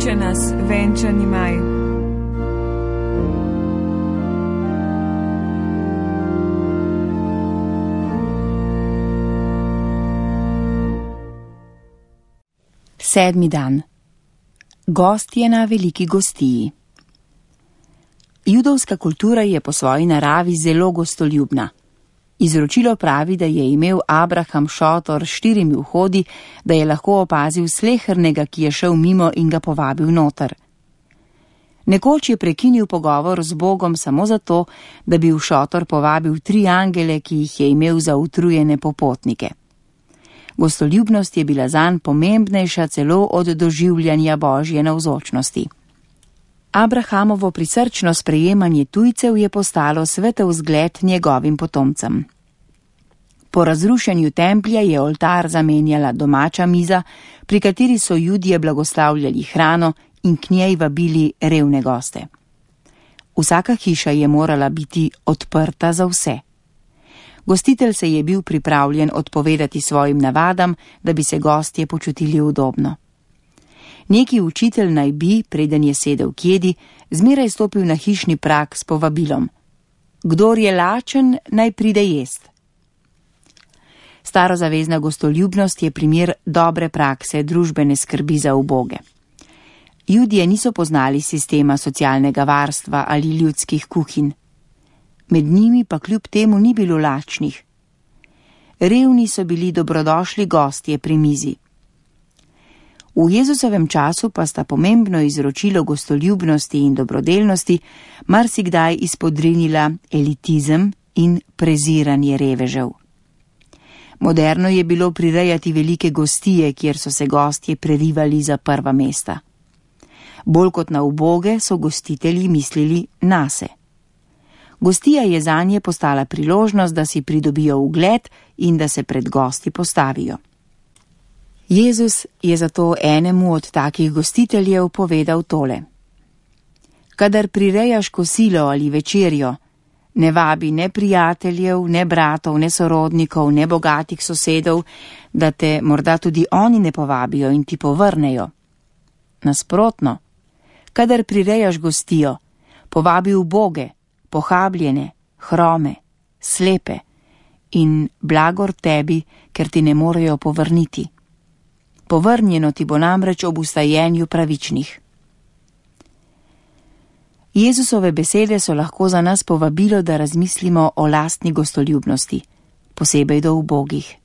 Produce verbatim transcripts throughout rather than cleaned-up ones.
kliče nas venčani maj. Sedmi dan. Gostje na veliki gostiji. Judovska kultura je po svoji naravi zelo gostoljubna. Izročilo pravi, da je imel Abraham šotor s štirimi vhodi, da je lahko opazil slehernega, ki je šel mimo in ga povabil noter. Nekoč je prekinil pogovor z Bogom samo zato, da bi v šotor povabil tri angele, ki jih je imel za utrujene popotnike. Gostoljubnost je bila zanj pomembnejša celo od doživljanja Božje navzočnosti. Abrahamovo prisrčno sprejemanje tujcev je postalo svetel zgled njegovim potomcem. Po razrušenju templja je oltar zamenjala domača miza, pri kateri so Judje blagoslavljali hrano in k njej vabili revne goste. Vsaka hiša je morala biti odprta za vse. Gostitelj se je bil pripravljen odpovedati svojim navadam, da bi se gostje počutili udobno. Neki učitelj naj bi, preden je sedel k jedi, zmeraj stopil na hišni prag s povabilom: Kdor je lačen, naj pride jest. Starozavezna gostoljubnost je primer dobre prakse družbene skrbi za uboge. Judje niso poznali sistema socialnega varstva ali ljudskih kuhinj. Med njimi pa kljub temu ni bilo lačnih. Revni so bili dobrodošli gostje pri mizi. V Jezusovem času pa sta pomembno izročilo gostoljubnosti in dobrodelnosti marsikdaj izpodrinila elitizem in preziranje revežev. Moderno je bilo prirejati velike gostije, kjer so se gostje prerivali za prva mesta. Bolj kot na uboge so gostitelji mislili nase. Gostija je zanje postala priložnost, da si pridobijo ugled in da se pred gosti postavijo. Jezus je zato enemu od takih gostiteljev povedal tole: Kadar prirejaš kosilo ali večerjo, ne vabi ne prijateljev, ne bratov, ne sorodnikov, ne bogatih sosedov, da te morda tudi oni ne povabijo in ti povrnejo. Nasprotno, kadar prirejaš gostijo, povabi uboge, pohabljene, hrome, slepe in blagor tebi, ker ti ne morejo povrniti. Povrnjeno ti bo namreč ob ustajenju pravičnih. Jezusove besede so lahko za nas povabilo, da razmislimo o lastni gostoljubnosti, posebej do ubogih.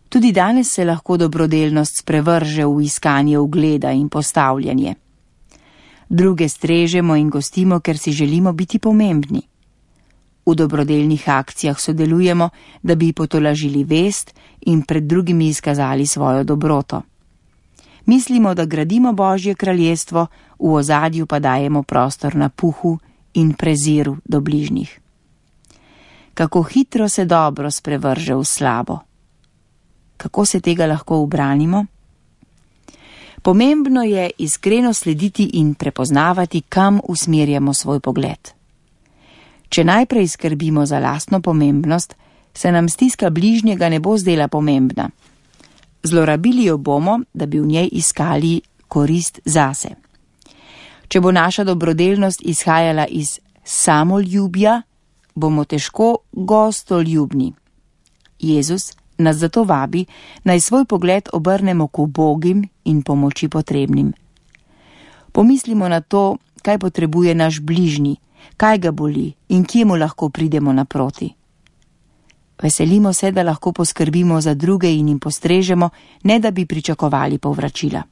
Tudi danes se lahko dobrodelnost sprevrže v iskanje ugleda in postavljanje. Druge strežemo in gostimo, ker si želimo biti pomembni. V dobrodelnih akcijah sodelujemo, da bi potolažili vest in pred drugimi izkazali svojo dobroto. Mislimo, da gradimo Božje kraljestvo, v ozadju pa dajemo prostor napuhu in preziru do bližnjih. Kako hitro se dobro sprevrže v slabo. Kako se tega lahko ubranimo? Pomembno je iskreno slediti in prepoznavati, kam usmerjamo svoj pogled. Če najprej skrbimo za lastno pomembnost, se nam stiska bližnjega ne bo zdela pomembna. Zlorabili jo bomo, da bi v njej iskali korist zase. Če bo naša dobrodelnost izhajala iz samoljubja, bomo težko gostoljubni. Jezus nas zato vabi, naj svoj pogled obrnemo k ubogim in pomoči potrebnim. Pomislimo na to, kaj potrebuje naš bližnji, kaj ga boli in kje mu lahko pridemo naproti. Veselimo se, da lahko poskrbimo za druge in jim postrežemo, ne da bi pričakovali povračila.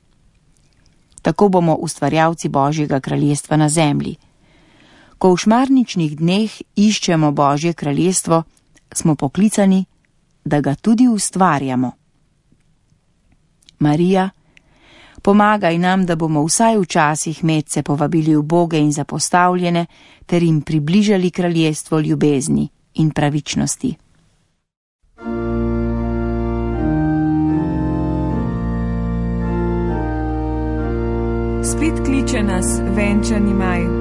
Tako bomo ustvarjalci Božjega kraljestva na zemlji. Ko v šmarničnih dneh iščemo Božje kraljestvo, smo poklicani, da ga tudi ustvarjamo. Marija, pomagaj nam, da bomo vsaj včasih medse povabili uboge in zapostavljene, ter jim približali kraljestvo ljubezni in pravičnosti. Spet kliče nas venčani maj.